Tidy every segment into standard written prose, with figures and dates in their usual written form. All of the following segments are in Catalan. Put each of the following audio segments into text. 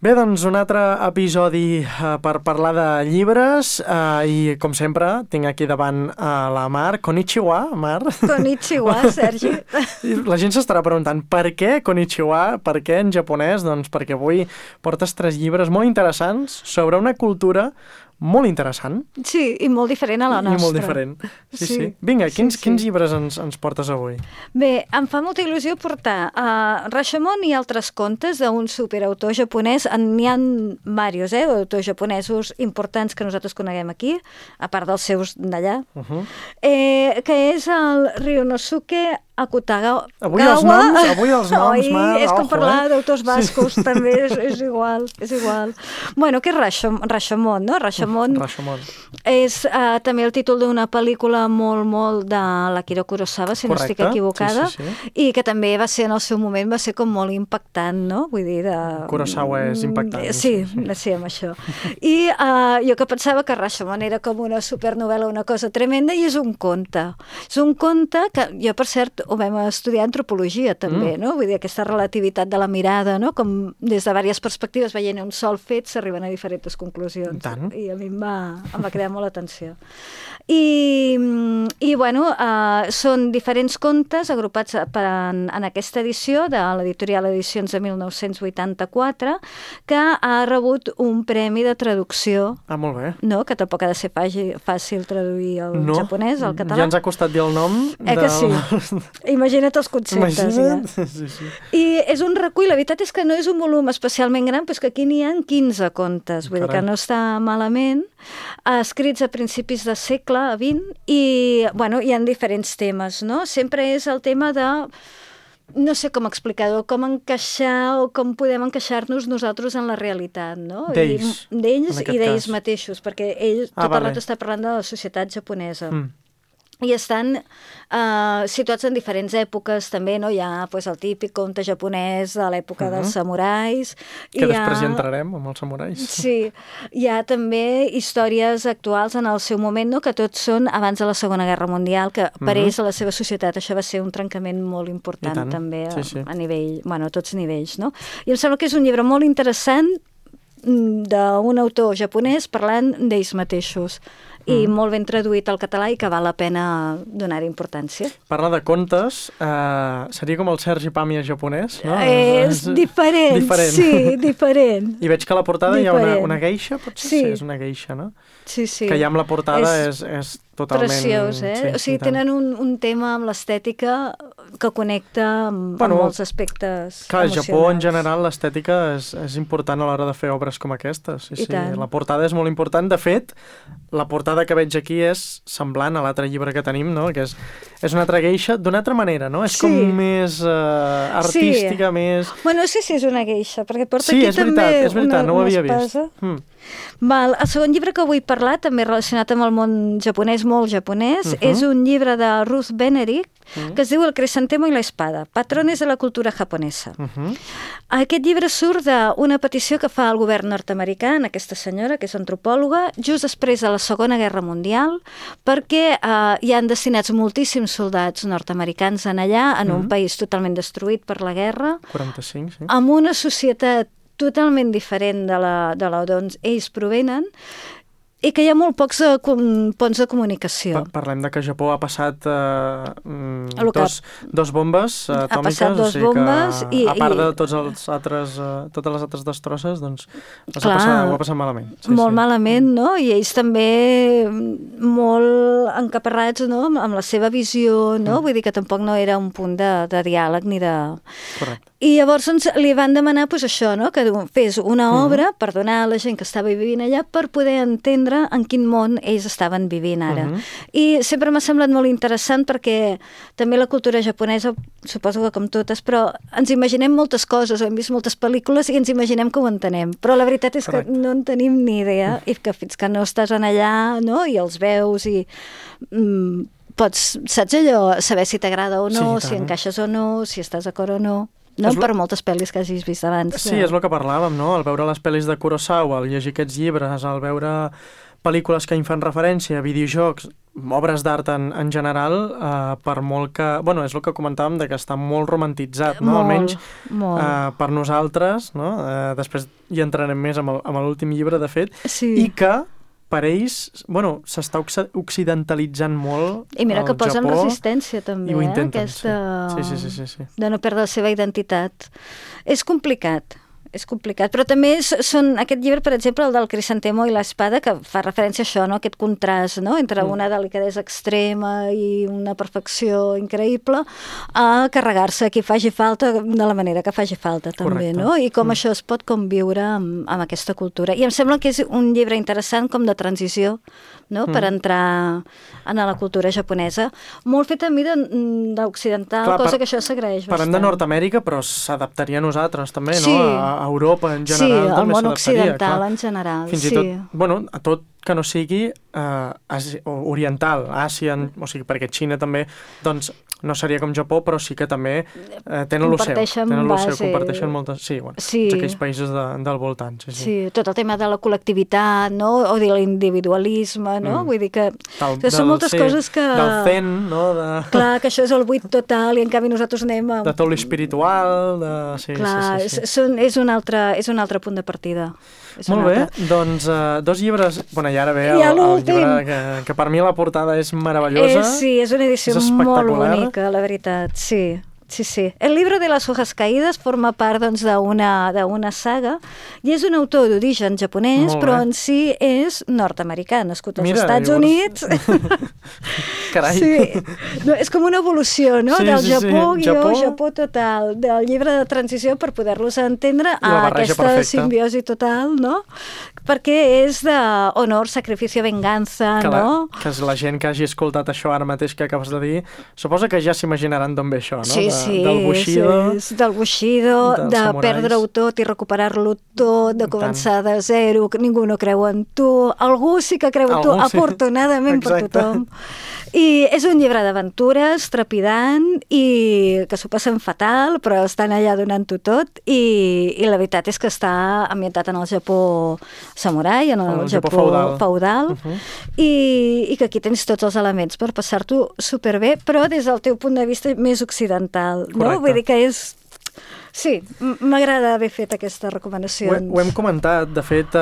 Bé, doncs un altre episodi per parlar de llibres i, com sempre, tinc aquí davant la Mar. Konnichiwa, Mar. Konnichiwa, Sergi. La gent s'estarà preguntant per què Konnichiwa, per què en japonès? Doncs perquè avui portes 3 llibres molt interessants sobre una cultura molt interessant. Sí, i molt diferent a la nostra. I molt diferent. Sí. Vinga, quins llibres ens portes avui? Bé, em fa molta il·lusió portar Rashomon i altres contes d'un superautor japonès. N'hi ha diversos, autors japonesos importants que nosaltres coneguem aquí, a part dels seus d'allà, que és el Ryunosuke Akutagawa. Avui els noms, Mar. És com parlar d'autors bascos, també és igual. Bueno, què és Rashomon, no? Rashomon és també el títol d'una pel·lícula molt de l'Akira Kurosawa, si no estic equivocada, i que també va ser, en el seu moment, va ser com molt impactant, no? Vull dir, Kurosawa és impactant. Sí, amb això. I jo que pensava que Rashomon era com una supernovel·la, una cosa tremenda, i és un conte. És un conte que jo, per cert, ho vam estudiar antropologia també, no? Vull dir, aquesta relativitat de la mirada, no? Com des de diverses perspectives veient un sol fet s'arriben a diferents conclusions. I a mi em va cridar molt l'atenció. I bueno, són diferents contes agrupats en aquesta edició de l'editorial Edicions de 1984 que ha rebut un premi de traducció. Molt bé. No? Que tampoc ha de ser fàcil traduir al japonès, al català. Ja ens ha costat dir el nom. Que sí. Imagina't els conceptes. Sí. I és un recull, la veritat és que no és un volum especialment gran, però és que aquí n'hi ha 15 contes, vull dir que no està malament, escrits a principis de segle XX i, bueno, hi ha diferents temes, no? Sempre és el tema de, no sé com explicar-ho, com encaixar o com podem encaixar-nos nosaltres en la realitat, no? D'ells i d'ells mateixos, perquè ell tot el rato està parlant de la societat japonesa. I estan situats en diferents èpoques, també, no? Hi ha el típic conte japonès de l'època dels samurais. Que després hi entrarem, amb els samurais. Sí, hi ha també històries actuals en el seu moment, no? Que tots són abans de la Segona Guerra Mundial, que per ells, a la seva societat, això va ser un trencament molt important, també, a nivell, bueno, a tots nivells, no? I em sembla que és un llibre molt interessant d'un autor japonès parlant d'ells mateixos i molt ben traduït al català i que val la pena donar-hi importància. Parla de contes, seria com el Sergi Pàmies japonès, no? És diferent, sí, diferent. I veig que a la portada hi ha una geisha, potser? Sí, és una geisha, no? Sí. Que ja amb la portada és totalment... Preciós, o sigui, tenen un tema amb l'estètica que connecta amb molts aspectes emocionals. Clar, al Japó, en general, l'estètica és important a l'hora de fer obres com aquestes. Sí. La portada és molt important. De fet, la portada que veig aquí és semblant a l'altre llibre que tenim, no? Que és una altra geisha d'una altra manera, no? És com més artística, més... Bueno, no sé si és una geisha, perquè porta aquí també una espasa. Sí, és veritat, no ho havia vist. El segon llibre que vull parlar, també relacionat amb el món japonès, molt japonès, és un llibre de Ruth Benedict, que es diu El crisantemo i la espada, patrones de la cultura japonesa. Aquest llibre surt d'una petició que fa el govern nord-americà, aquesta senyora, que és antropòloga, just després de la Segona Guerra Mundial, perquè hi han destinats moltíssims soldats nord-americans en allà, en un país totalment destruït per la guerra, 45, sí. Amb una societat totalment diferent de la d'on ells provenen i que hi ha molt pocs ponts de comunicació. Parlem de que Japó ha passat dos bombes atòmiques. Ha passat dos bombes i... A part de totes les altres destrosses, doncs ho ha passat malament. Molt malament, no? I ells també molt encaparrats, no? Amb la seva visió, no? Vull dir que tampoc no era un punt de diàleg ni de... Correcte. I llavors li van demanar això, no? Que fes una obra per donar a la gent que estava vivint allà per poder entendre en quin món ells estaven vivint ara. I sempre m'ha semblat molt interessant perquè també la cultura japonesa, suposo que com totes, però ens imaginem moltes coses, hem vist moltes pel·lícules i ens imaginem que ho entenem, però la veritat és que no en tenim ni idea i que fins que no estàs en allà, no? I els veus i... saps allò, saber si t'agrada o no, si encaixes o no, si estàs d'acord o no. No per moltes pel·lis que hagis vist abans. Sí, és el que parlàvem, no? Al veure les pel·lis de Kurosawa, al llegir aquests llibres, al veure pel·lícules que hi fan referència, videojocs, obres d'art en general, per molt que... Bueno, és el que comentàvem, de que està molt romantitzat, no? Almenys per nosaltres, no? Després hi entrarem més amb l'últim llibre, de fet, i que per ells, bueno, s'està occidentalitzant molt I mira que posen Japó, resistència també, i ho intenten, aquesta... de no perdre la seva identitat. És complicat, però també aquest llibre, per exemple, el del Crisantemo i l'espada, que fa referència a això, no? Aquest contrast, no? Entre una delicadesa extrema i una perfecció increïble, a carregar-se a qui faci falta de la manera que faci falta, també, no? I com això es pot conviure amb aquesta cultura. I em sembla que és un llibre interessant com de transició, no? Per entrar en la cultura japonesa. Molt fet a mi d'occidental, cosa que això s'agraeix bastant. Parlem de Nord-Amèrica, però s'adaptaria a nosaltres també, no? A Europa en general també s'adaptaria. Sí, al món occidental en general. Fins i tot, bueno, a tot que no sigui oriental, Àsia, o sigui, perquè Xina també, doncs, no seria com Japó, però sí que també tenen l'oceà. Comparteixen moltes... Sí, bueno, tots aquells països del voltant. Sí, tot el tema de la col·lectivitat, no? O de l'individualisme, no? Vull dir que són moltes coses que... Del zen, no? Clar, que això és el buit total i en canvi nosaltres anem a... De tot l'espiritual, Clar, és un altre punt de partida. Molt bé, doncs 2 llibres... Bueno, i ara ve el llibre que per mi la portada és meravellosa. Sí, és una edició molt bonica, la veritat, sí. Sí. El libro de las hojas caídas forma part doncs, d'una saga i és un autor d'origen japonès, però en si és nord-americà, nascut als Estats Units. Carai. Sí. No, és com una evolució, no? Del Japó total, del llibre de transició per poder-los entendre a aquesta simbiosi total, no? Perquè és d'honor, sacrifici, vengança, no? Que és la gent que hagi escoltat això ara mateix que acabes de dir, suposa que ja s'imaginaran d'on ve això, no? Del Bushido, de perdre-ho tot i recuperar-lo tot, de començar de zero, que ningú no creu en tu, algú sí que creu en tu, afortunadament per tothom. I és un llibre d'aventures trepidant i que s'ho passen fatal, però estan allà donant-ho tot i la veritat és que està ambientat en el Japó samurai, en el Japó feudal i que aquí tens tots els elements per passar-t'ho superbé, però des del teu punt de vista més occidental, no? Vull dir que és... Sí, m'agrada haver fet aquestes recomanacions. Ho hem comentat, de fet,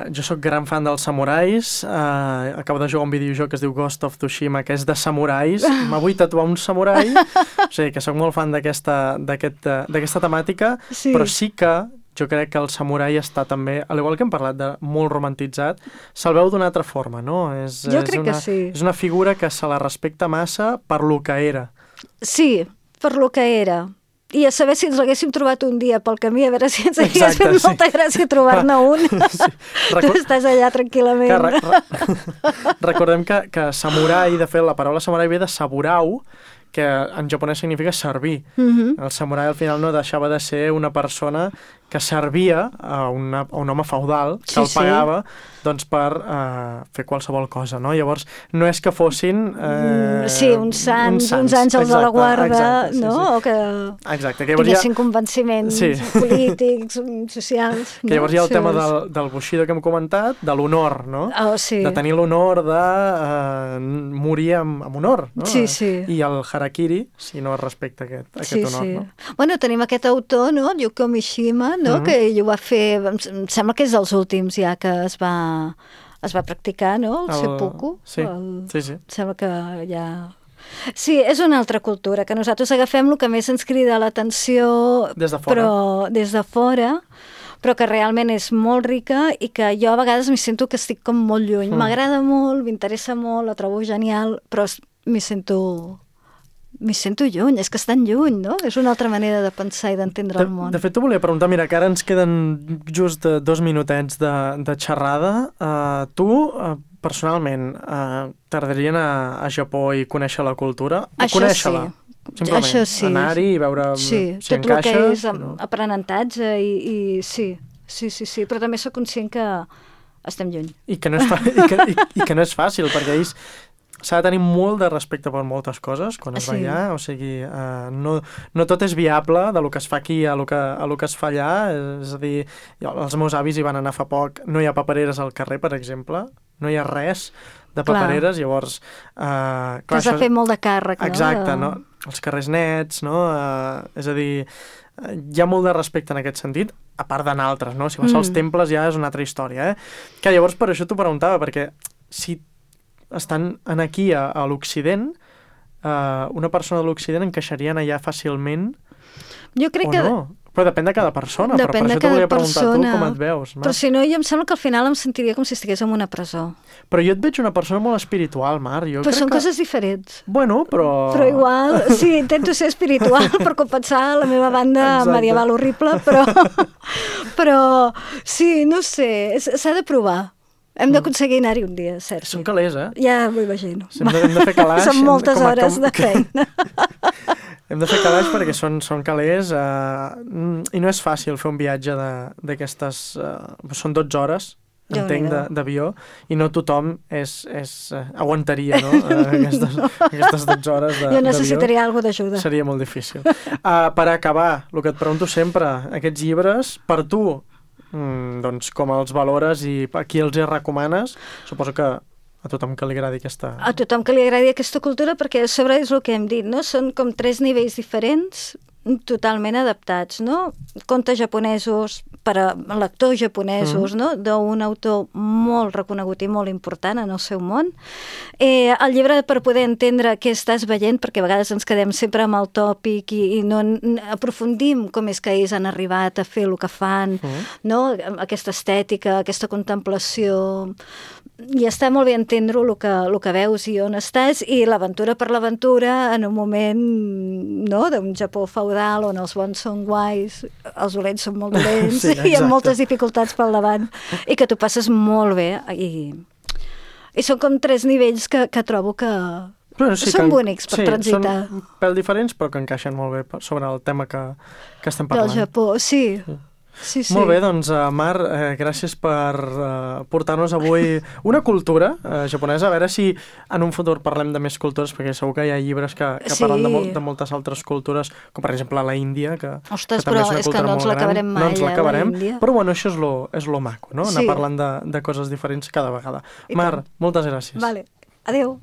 jo sóc gran fan dels samurais, acabo de jugar un videojoc que es diu Ghost of Tsushima, que és de samurais, m'avull tatuar un samurai, o sigui que sóc molt fan d'aquesta temàtica, però sí que jo crec que el samurai està també, al igual que hem parlat de molt romantitzat, se'l veu d'una altra forma, no? Jo crec que sí. És una figura que se la respecta massa per lo que era. Sí, per lo que era. I a saber si ens l'haguéssim trobat un dia pel camí, a veure si ens hagués fet molta gràcia trobar-ne un. Tu estàs allà tranquil·lament. Recordem que samurai, de fet, la paraula samurai ve de saburau, que en japonès significa servir. El samurai al final no deixava de ser una persona que servia a un home feudal, que el pagava doncs, per fer qualsevol cosa, no? Llavors, no és que fossin... uns sants, uns àngels de la guarda, no? O que tinguessin convenciments polítics, socials. Que llavors hi ha el tema del Bushido que hem comentat, de l'honor, no? De tenir l'honor de morir amb honor, no? I el harakiri, si no es respecta aquest honor, no? Bueno, tenim aquest autor, no? Yukio Mishima, no? Que ell ho va fer, em sembla que és dels últims ja que es va practicar, no? El seppuku. Sí. Em sembla que ja... Sí, és una altra cultura, que nosaltres agafem el que més ens crida l'atenció, però des de fora, però que realment és molt rica i que jo a vegades m'hi sento que estic com molt lluny. M'agrada molt, m'interessa molt, la trobo genial, però m'hi sento lluny, és que estan lluny, no? És una altra manera de pensar i d'entendre el món. De fet, t'ho volia preguntar, mira, que ara ens queden just 2 minutets de xerrada. Tu, personalment, t'agradaria anar a Japó i conèixer la cultura? Conèixer-la? Simplement, això sí. Anar-hi i veure si encaixa? Tot el que és aprenentatge i sí, però també sóc conscient que estem lluny. I que no és fàcil, perquè ells s'ha de tenir molt de respecte per moltes coses quan es va allà, o sigui, no tot és viable de lo que es fa aquí a lo que es fa allà, és a dir, els meus avis hi van anar fa poc, no hi ha papereres al carrer, per exemple, no hi ha res de papereres, llavors... que has de fer molt de càrrec, no? Exacte, no? Els carrers nets, no? És a dir, hi ha molt de respecte en aquest sentit, a part d'anar altres, no? Si vas als temples ja és una altra història, Que llavors per això t'ho preguntava, perquè si estan aquí a l'Occident, una persona de l'Occident encaixaria allà fàcilment jo crec o no? Però depèn de cada persona, però per això t'ho volia preguntar tu com et veus. Però si no, jo em sembla que al final em sentiria com si estigués en una presó. Però jo et veig una persona molt espiritual, Mar. Però són coses diferents. Bueno, però... Però igual, sí, intento ser espiritual per compensar la meva banda medieval horrible, però sí, no sé, s'ha de provar. Hem d'aconseguir anar-hi un dia, cert. Són calés, Ja m'ho imagino. Hem de fer calaix. Són moltes hores de feina. Hem de fer calaix perquè són calés i no és fàcil fer un viatge d'aquestes... són 12 hores, entenc, d'avió, i no tothom aguantaria, no? Aquestes 12 hores d'avió. Jo necessitaria alguna d'ajuda. Seria molt difícil. Per acabar, el que et pregunto sempre, aquests llibres, per tu, doncs com els valores i a qui els recomanes? Suposo que a tothom que li agradi aquesta... A tothom que li agradi aquesta cultura, perquè a sobre és el que hem dit, no? Són com 3 nivells diferents, totalment adaptats, no? Contes japonesos per a lectors japonesos, no? D'un autor molt reconegut i molt important en el seu món. El llibre per poder entendre què estàs veient, perquè a vegades ens quedem sempre amb el tòpic i no aprofundim com és que ells han arribat a fer el que fan, no? Aquesta estètica, aquesta contemplació... I està molt bé entendre el que veus i on estàs, i l'aventura per l'aventura en un moment, no?, d'un Japó feudal on els bons són guais, els dolents són molt dolents, i amb moltes dificultats pel davant, i que t'ho passes molt bé. I són com 3 nivells que trobo que són bonics per transitar. Són un pèl diferents, però que encaixen molt bé sobre el tema que estem parlant. Del Japó, sí. Sí. Molt bé, doncs, Mar, gràcies per portar-nos avui una cultura japonesa. A veure si en un futur parlem de més cultures, perquè segur que hi ha llibres que parlen de moltes altres cultures, com per exemple la Índia, que ostres, que també és una és que no ens l'acabarem mai, no ens l'acabarem, la Índia. Però bueno, això és lo maco, no? Anar parlant de coses diferents cada vegada. Mar, moltes gràcies. Vale, adéu.